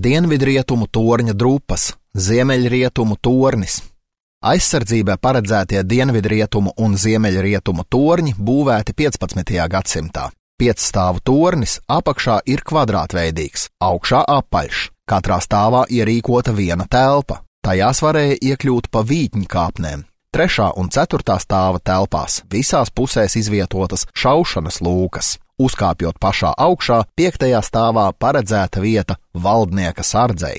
dienvidrietumu torņa drupas, ziemeļrietumu tornis. Aizsardzībai paredzētie dienvidrietumu un ziemeļrietumu torņi būvēti 15. gadsimtā. 5-stāvu tornis apakšā ir kvadrātveidīgs, augšā apaļš. Katrā stāvā ierīkota viena telpa. Tajās varēja iekļūt pa vītņkāpnēm. 3. un 4. stāva telpās visās pusēs izvietotas šaušanas lūkas. Uzkāpjot pašā augšā, 5. stāvā paredzēta vieta valdnieka sardzei.